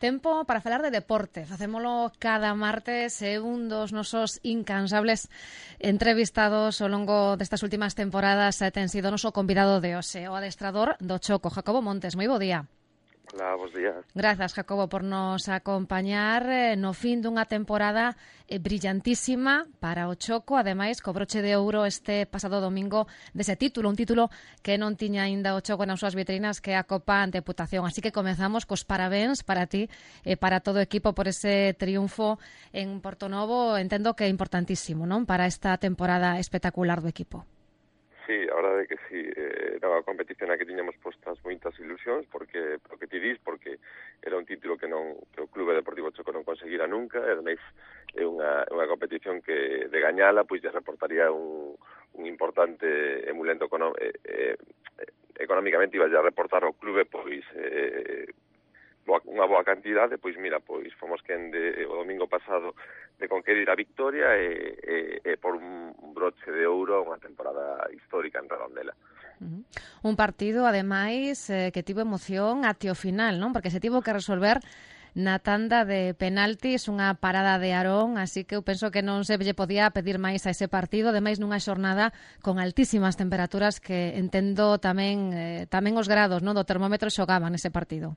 Tempo para falar de deporte. Facémolo cada martes e un dos nosos incansables entrevistados ao longo destas últimas temporadas ten sido o noso convidado de hoxe, o adestrador do Choco, Jacobo Montes. Moi bo día. Hola, bos días. Grazas, Jacobo, por nos acompañar no fin dunha temporada brillantísima para o Choco, ademais, co broche de ouro este pasado domingo dese título, un título que non tiña aínda o Choco nas súas vitrinas, que é a Copa Deputación. Así que comezamos cos parabéns para ti e para todo o equipo por ese triunfo en Portonovo. Entendo que é importantísimo, non? Para esta temporada espectacular do equipo. Sí, a verdade é que sí, era unha competición a que tiñamos postas moitas ilusións, porque o que ti dis, porque era un título que o Clube Deportivo Choco non conseguira nunca, e ademais é unha competición que de gañala pois lle reportaría un importante emulento económicamente, iba a reportar ao clube pois unha boa cantidade, pois mira, pois fomos quen o domingo pasado de conquerir a victoria e por un broche de ouro unha temporada histórica en Redondela. Un partido, ademais, que tivo emoción até o final, non? Porque se tivo que resolver na tanda de penaltis, unha parada de Aarón, así que eu penso que non se lle podía pedir máis a ese partido, ademais nunha xornada con altísimas temperaturas que entendo tamén os grados, non, do termómetro xogaban nese partido.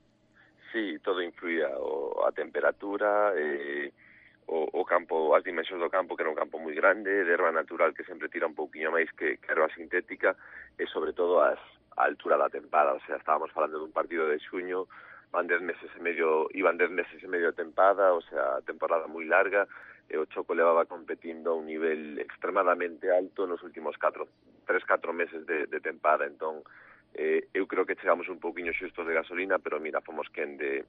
Sí, todo influía, a temperatura, o campo, as dimensións do campo, que era un campo moi grande, de erva natural que sempre tira un pouquiño máis que erva sintética, e sobre todo a altura da tempada, o sea, estábamos falando dun partido de xuño, iban 10 meses e medio de tempada, o sea, temporada moi larga, e o Choco levaba competindo a un nivel extremadamente alto nos últimos 3-4 meses de tempada, entón eu creo que chegamos un pouquiño xustos de gasolina, pero mira, fomos quen de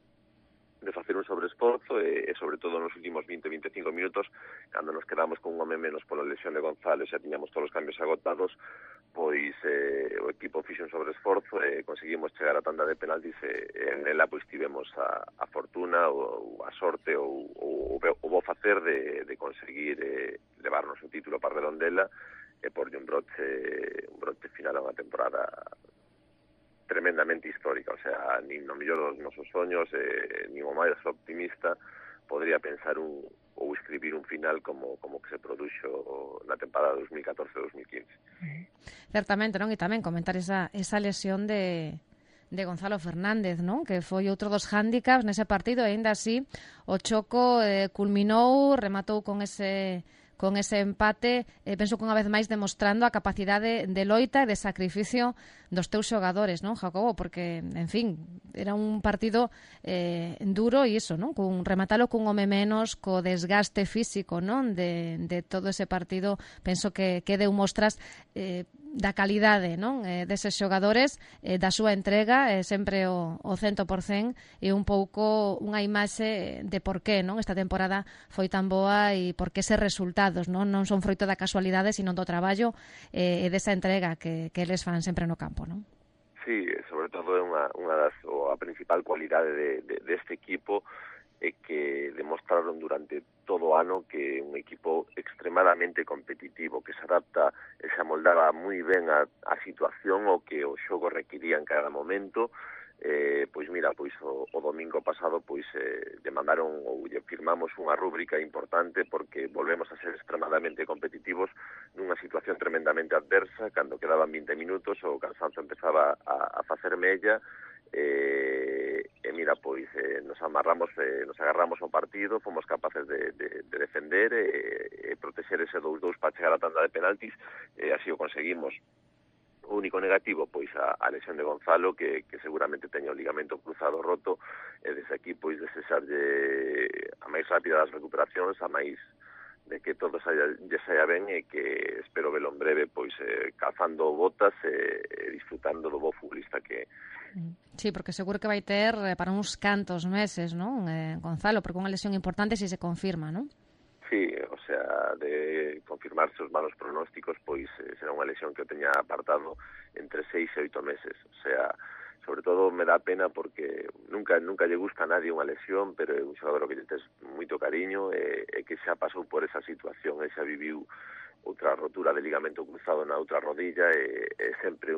facer un sobreesforzo e sobre todo nos últimos 20-25 minutos, cando nos quedamos con un home menos pola lesión de Gonzalo, xa tiñamos todos os cambios agotados, pois o equipo fixe un sobreesforzo e conseguimos chegar a tanda de penaltis e en ela pois tivemos a fortuna ou a sorte ou o bo facer de conseguir levarnos o título para Redondela e porlle un broche final a unha temporada tremendamente histórica, o sea, nin no mellor dos nosos soños, nin o máis optimista podría pensar ou escribir un final como que se produxo na temporada 2014-2015. Certamente, non? E tamén comentar esa lesión de Gonzalo Fernández, non? Que foi outro dos hándicaps nese partido, e aínda así o Choco culminou, rematou con ese empate, penso que unha vez máis demostrando a capacidade de loita e de sacrificio dos teus xogadores, non, Jacobo? Porque, en fin, era un partido duro e iso, non? Rematalo cun home menos, co desgaste físico, non? De todo ese partido, penso que deu mostras da calidade, non? Deses xogadores, da súa entrega, sempre o 100%, e un pouco unha imaxe de por qué, non? Esta temporada foi tan boa e por que eses resultados, non son froito da casualidade, sino do traballo e desa entrega que eles fan sempre no campo, non? Sí, sobre todo é a principal cualidade deste equipo é que demostraron durante todo o ano que é un equipo extremadamente competitivo, que se adapta e se amoldaba moi ben a situación o que o xogo requiría en cada momento. Pois mira, pois o domingo pasado pois lle mandaron ou lle firmamos unha rúbrica importante porque volvemos a ser extremadamente competitivos nunha situación tremendamente adversa, cando quedaban 20 minutos o cansanzo empezaba a facer mella e mira, pois nos agarramos ao partido, fomos capaces de defender e protexer ese 2-2 para chegar a tanda de penaltis e así o conseguimos. O único negativo, pois, a lesión de Gonzalo, que seguramente teña o ligamento cruzado roto, e desde aquí, pois, desexarlle a máis rápida das recuperacións, a máis de que todo lle saia ben e que espero velo en breve, pois, calzando botas e disfrutando do bo futbolista que Sí, porque seguro que vai ter para uns cantos meses, non, Gonzalo, porque unha lesión importante se confirma, non? Sí, o sea, de confirmarse os malos pronósticos, pois será unha lesión que o teña apartado entre 6 e 8 meses. O sea, sobre todo me dá pena porque nunca lle gusta a nadie unha lesión, pero é un xogador que lle tes moito cariño e que xa pasou por esa situación e xa viviu outra rotura de ligamento cruzado na outra rodilla e sempre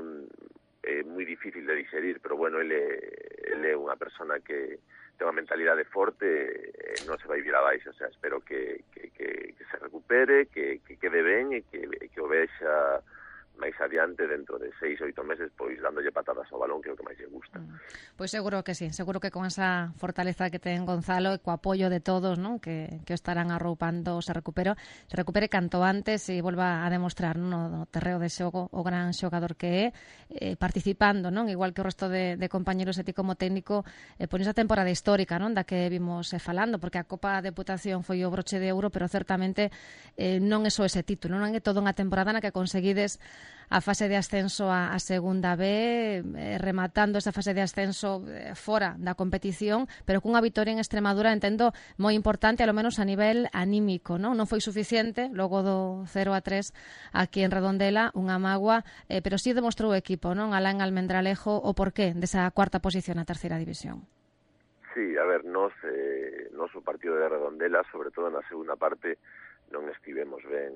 moi difícil de digerir, pero bueno, ele é unha persona que ten unha mentalidade forte, non se vai vir abaixo, o sea, espero que se recupere, que quede ben e que o vexa máis adiante dentro de 6 ou 8 meses, pois dándolle patadas ao balón, que é o que máis lle gusta. Pois seguro que sí, seguro que con esa fortaleza que ten Gonzalo e co apoio de todos, non, que estarán arroupando, se recupere canto antes e volva a demostrar, non, no terreo de xogo o gran xogador que é, participando, non, igual que o resto de compañeros e ti como técnico, por esa temporada histórica, non, da que vimos falando, porque a Copa Deputación foi o broche de ouro, pero certamente non é só ese título, non é toda unha temporada na que conseguides a fase de ascenso a segunda B, rematando esa fase de ascenso fora da competición, pero cunha vitoria en Extremadura, entendo, moi importante, alo menos a nivel anímico, non? Non foi suficiente, logo do 0-3 aquí en Redondela, unha mágoa, pero sí demostrou o equipo, non? Alá en Almendralejo, o porqué desa cuarta posición na terceira división. Sí, a ver, nos o partido de Redondela, sobre todo na segunda parte, non estivemos ben.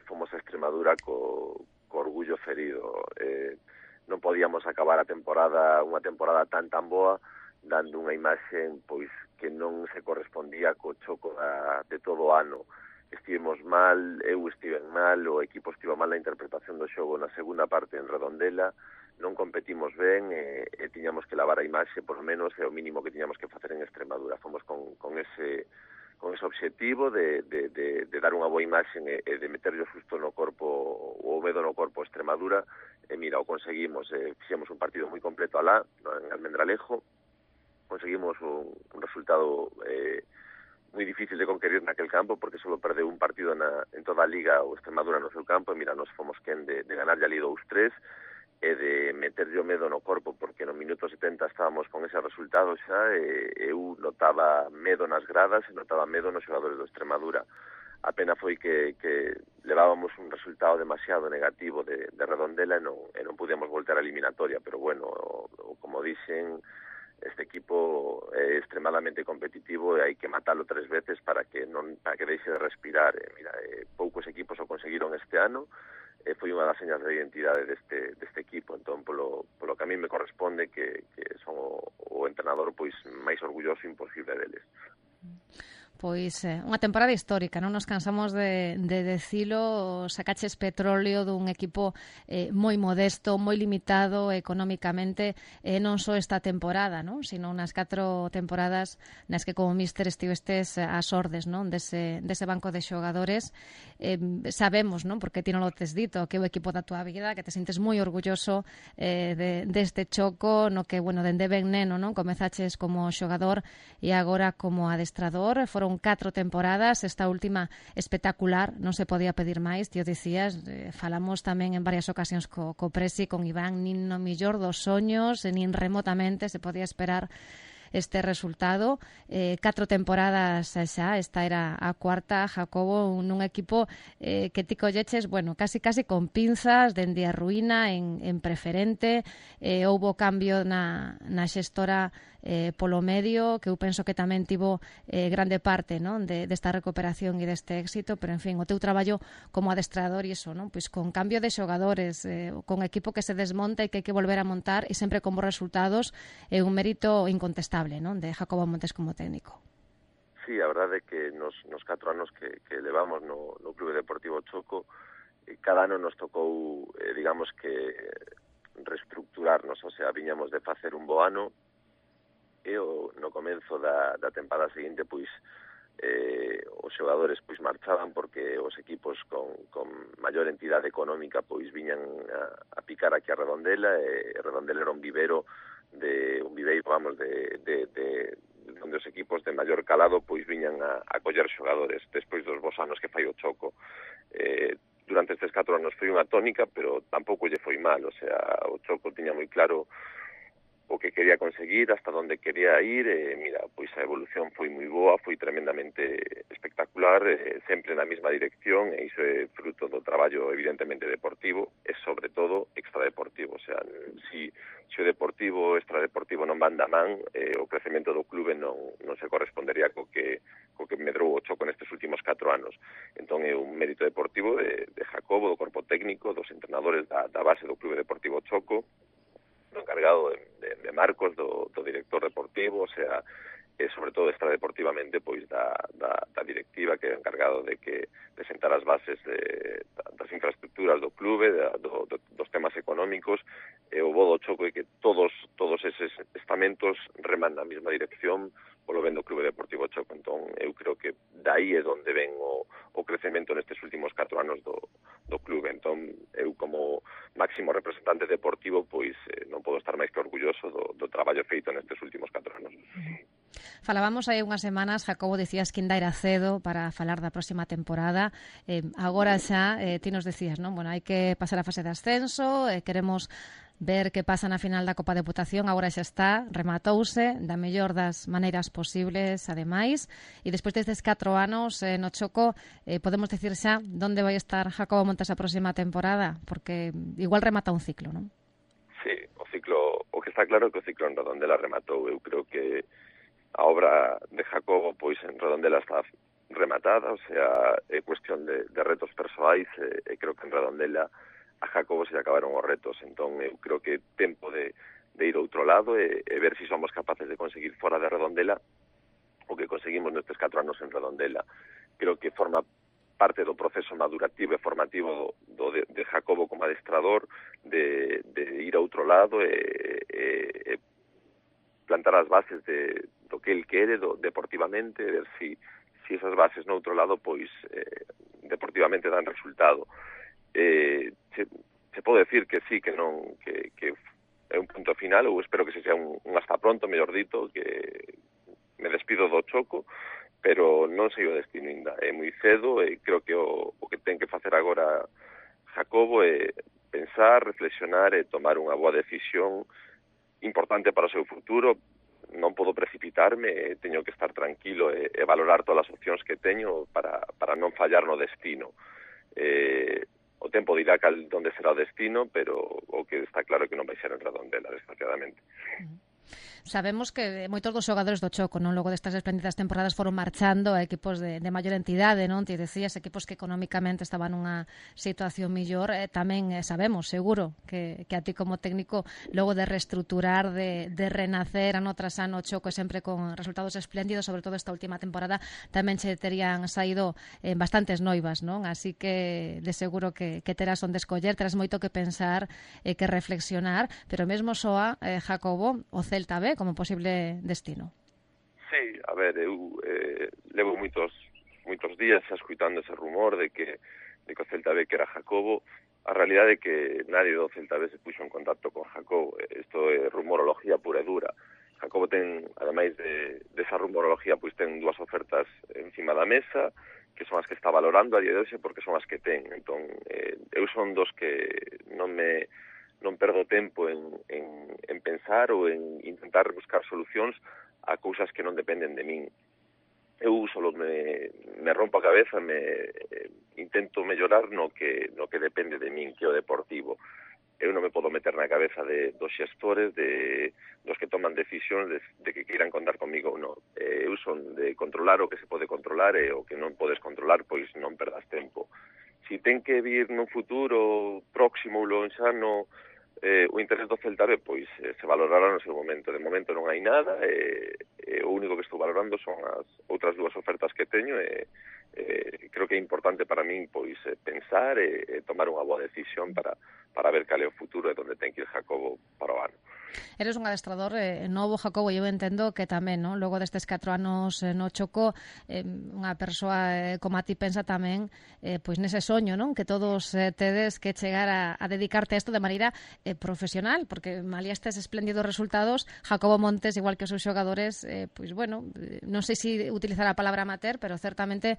Fomos a Extremadura co orgullo ferido. Non podíamos acabar unha temporada tan boa, dando unha imaxen pois que non se correspondía co choco de todo o ano. Estivemos mal, eu estiven mal, o equipo estivo mal na interpretación do xogo na segunda parte en Redondela, non competimos ben e tiñamos que lavar a imaxe, por lo menos é o mínimo que tiñamos que facer en Extremadura. Fomos con ese obxectivo de dar unha boa imaxe e de meterlo xusto no corpo, o medo no corpo a Extremadura, e mira, o conseguimos, fixemos un partido moi completo alá, en Almendralejo, conseguimos un resultado moi difícil de conquerir naquel campo, porque só perdeu un partido en toda a Liga o Extremadura no seu campo, e mira, nos fomos quen de ganarlle ali 2-3, e de meterlle o medo no corpo, porque no minuto 70 estábamos con ese resultado xa, e eu notaba medo nas gradas e notaba medo nos xogadores do Extremadura. A pena foi que levábamos un resultado demasiado negativo de Redondela e non podíamos voltar a eliminatoria, pero bueno, como dixen, este equipo é extremadamente competitivo e hai que matalo 3 veces para que deixe de respirar. Mira, poucos equipos o conseguiron este ano, foi unha das señas de identidade deste equipo, entón polo que a mí me corresponde que son o entrenador pois máis orgulloso imposible deles. Pois unha temporada histórica, non nos cansamos de decilo, sacaches petróleo dun equipo moi modesto, moi limitado económicamente, non só esta temporada, non, sino unas 4 temporadas nas que como míster estivestes ás ordes, non, dese banco de xogadores. Sabemos, non, porque ti non lo tes dito, que é o equipo da tua vida, que te sintes moi orgulloso deste choco, no que, bueno, dende ben neno, non, comezaches como xogador e agora como adestrador. Foron 4 temporadas, esta última espectacular, non se podía pedir máis, ti o dicías, falamos tamén en varias ocasións co Presi, con Iván, nin no millor dos soños, nin remotamente se podía esperar este resultado. 4 temporadas xa, esta era a cuarta, Jacobo, nun equipo que ti colleches, bueno, casi con pinzas, dende a ruína en preferente, houbo cambio na xestora polo medio, que eu penso que tamén tivo grande parte, non, desta recuperación e deste éxito, pero en fin, o teu traballo como adestrador e iso, non, pois con cambio de xogadores, con equipo que se desmonta e que hai que volver a montar e sempre con bons resultados, é un mérito incontestable, non, de Jacobo Montes como técnico. Sí, a verdade é que nos 4 anos que levamos no Clube Deportivo Choco, cada ano nos tocou, digamos que reestructurarnos, o sea, viñamos de facer un bo ano, e no comenzo da temporada seguinte, pois, os xogadores pois marchaban porque os equipos con maior entidade económica pois viñan a picar aquí a Redondela, e Redondela era un viveiro, vamos, de onde os equipos de maior calado pois viñan a coller xogadores despois dos bons anos que fai o Choco. Durante estes 4 anos foi unha tónica, pero tampouco lle foi mal, o sea, o Choco tiña moi claro o que quería conseguir, hasta onde quería ir, e mira, pois a evolución foi moi boa, foi tremendamente espectacular, sempre na mesma dirección, e iso é fruto do traballo evidentemente deportivo, e sobre todo extradeportivo, o sea, si o deportivo o extradeportivo non van da man, o crecemento do clube non se correspondería co que medrou o Choco nestes últimos 4 anos. Entón é un mérito deportivo de Jacobo, do corpo técnico, dos entrenadores da base do Clube Deportivo Choco, encargado de Marcos, do director deportivo, o sea, sobre todo extradeportivamente, pois da directiva que é encargado de sentar as bases das infraestructuras do clube, dos temas económicos, e o bo do Choco é que todos eses estamentos reman na mesma dirección polo ben do Clube Deportivo Choco. Entón, eu creo que dai é onde ven o crecemento nestes últimos 4 anos do clube. Entón, eu como máximo representante deportivo, pois non podo estar máis que orgulloso do traballo feito nestes últimos 4 anos. Falábamos hai unhas semanas, Jacobo, dicías que ainda era cedo para falar da próxima temporada. Agora xa, ti nos decías, non? Bueno, hai que pasar a fase de ascenso, queremos ver que pasa na final da Copa de Deputación, agora xa está, rematouse da mellor das maneiras posibles, ademais, e despois destes 4 anos no Choco, podemos decir xa onde vai estar Jacobo Montes a próxima temporada, porque igual remata un ciclo, non? Sí, o que está claro é que o ciclo en Redondela rematou. Eu creo que a obra de Jacobo, pois, en Redondela está rematada, o sea, é cuestión de retos persoais, e creo que en Redondela a Jacobo se acabaron os retos. Entón, eu creo que é tempo de ir a outro lado e ver se somos capaces de conseguir fora de Redondela o que conseguimos nestes 4 anos en Redondela. Creo que forma parte do proceso madurativo e formativo de Jacobo como adestrador, de ir a outro lado e plantar as bases do que el quere deportivamente, ver si esas bases no outro lado pois deportivamente dan resultado. Se pode decir que sí, que non, que é un punto final, ou espero que se sea un hasta pronto, mellor dito, que me despido do Choco, pero non sei o destino ainda. É moi cedo e creo que o que ten que facer agora Jacobo é pensar, reflexionar e tomar unha boa decisión importante para o seu futuro. Non podo precipitarme, teño que estar tranquilo e valorar todas as opcións que teño para non fallar no destino. O tempo dirá onde será o destino, pero o que está claro é que non vai ser en Redondela, desgraciadamente. Sabemos que moitos dos xogadores do Choco, non, logo destas espléndidas temporadas foron marchando a equipos de maior entidade, non? Ti decías, equipos que económicamente estaban nunha situación millor. Tamén sabemos, seguro, que a ti como técnico, logo de reestruturar, de renacer ano tras ano o Choco sempre con resultados espléndidos, sobre todo esta última temporada, tamén che terían saído bastantes noivas, non? Así que de seguro que terás onde escoller, terás moito que pensar e que reflexionar, pero mesmo soa, Jacobo, o Celta B como posible destino. Sí, a ver, eu levo moitos días escuitando ese rumor de que o Celta B que era Jacobo. A realidade é que nadie do Celta B se puxo en contacto con Jacobo. Isto é rumorología pura e dura. Jacobo ten, ademais desa rumorología, pois ten 2 ofertas encima da mesa, que son as que está valorando a día de hoxe porque son as que ten. Entón, eu son dos que non perdo tempo en pensar ou en intentar buscar solucións a cousas que non dependen de min. Eu solo me rompo a cabeza, intento mellorar no que depende de min, que é o deportivo. Eu non me podo meter na cabeza dos xestores, dos que toman decisións de que queiran contar comigo ou non. Eu son de controlar o que se pode controlar e o que non podes controlar, pois non perdas tempo. Si ten que vir nun futuro próximo ou lonxano o interés do Celta B, pois se valorará no seu momento. De momento non hai nada, o único que estou valorando son as outras 2 ofertas que teño e creo que é importante para min pois pensar e tomar unha boa decisión para ver cal é o futuro e onde ten que ir Jacobo para o ano. Eres un adestrador novo, Jacobo, e eu entendo que tamén, non? Logo destes 4 anos no Choco, unha persoa como a ti pensa tamén pois nese soño, non? Que todos tedes que chegar a dedicarte a isto de maneira profesional, porque malía estes espléndidos resultados, Jacobo Montes, igual que os seus xogadores, pois bueno, non sei se utilizar a palabra amateur, pero certamente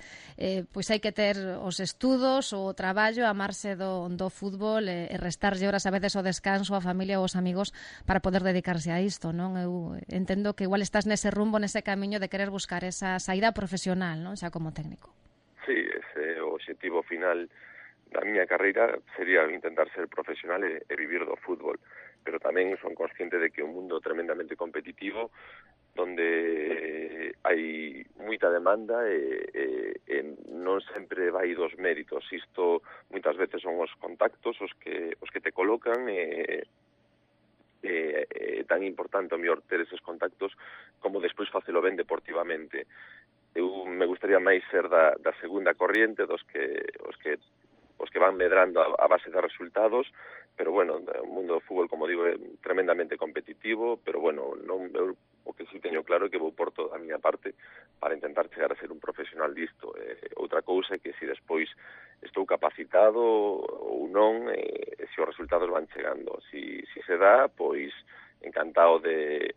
pois hai que ter os estudos, o traballo, amarse do fútbol e restarlle horas a veces o descanso, a familia ou os amigos para poder dedicarse a isto, non? Eu entendo que igual estás nese rumbo, nese camiño de querer buscar esa saída profesional, non? Xa como técnico. Sí, ese é o objetivo final da miña carreira, sería intentar ser profesional e vivir do fútbol, pero tamén son consciente de que é un mundo tremendamente competitivo donde hai moita demanda e non sempre vai dos méritos. Isto moitas veces son os contactos os que te colocan tan importante o mellor ter eses contactos como despois facelo ben deportivamente. Eu me gustaría máis ser da segunda corriente, os que van medrando a base de resultados, pero bueno, o mundo do fútbol, como digo, é tremendamente competitivo, pero bueno, non, eu, o que sí teño claro é que vou por toda a miña parte para intentar chegar a ser un profesional disto. Outra cousa é que se despois estou capacitado ou non, se os resultados van chegando. Si se dá, pois encantado de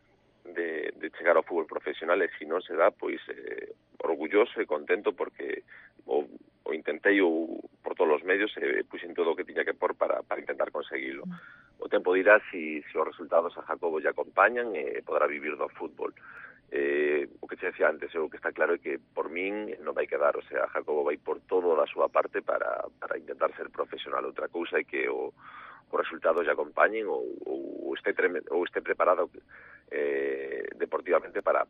chegar ao fútbol profesional, e se non se dá, pois orgulloso e contento porque o intentei por todos os medios e puxen todo o que tiña que por para intentar conseguilo. O tempo dirá si os resultados a Jacobo lle acompañan e poderá vivir do fútbol. O que te decía antes, o que está claro é que por min non vai quedar, o sea, Jacobo vai por todo da súa parte para intentar ser profesional. Outra cousa é que os resultados lle acompañen ou este preparado deportivamente para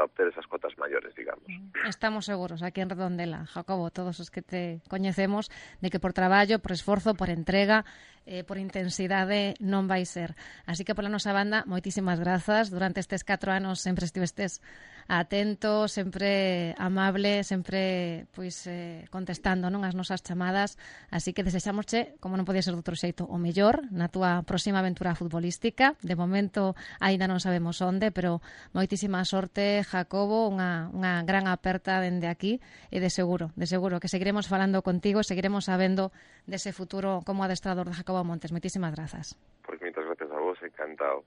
obter esas cotas maiores, digamos. Estamos seguros aquí en Redondela, Jacobo, todos os que te coñecemos, de que por traballo, por esforzo, por entrega, por intensidade non vai ser. Así que pola nosa banda, moitísimas grazas. Durante estes 4 anos sempre estivestes atento, sempre amable, sempre pois contestando, non, as nosas chamadas. Así que desexámosche, como non podía ser de outro xeito, o mellor na túa próxima aventura futbolística. De momento aínda non sabemos onde, pero moitísima sorte, Jacobo, unha gran aperta dende aquí e de seguro que seguiremos falando contigo, seguiremos sabendo dese futuro como adestrador de Jacobo Montes. Moitísimas grazas. Pois moitas grazas a vos, encantado.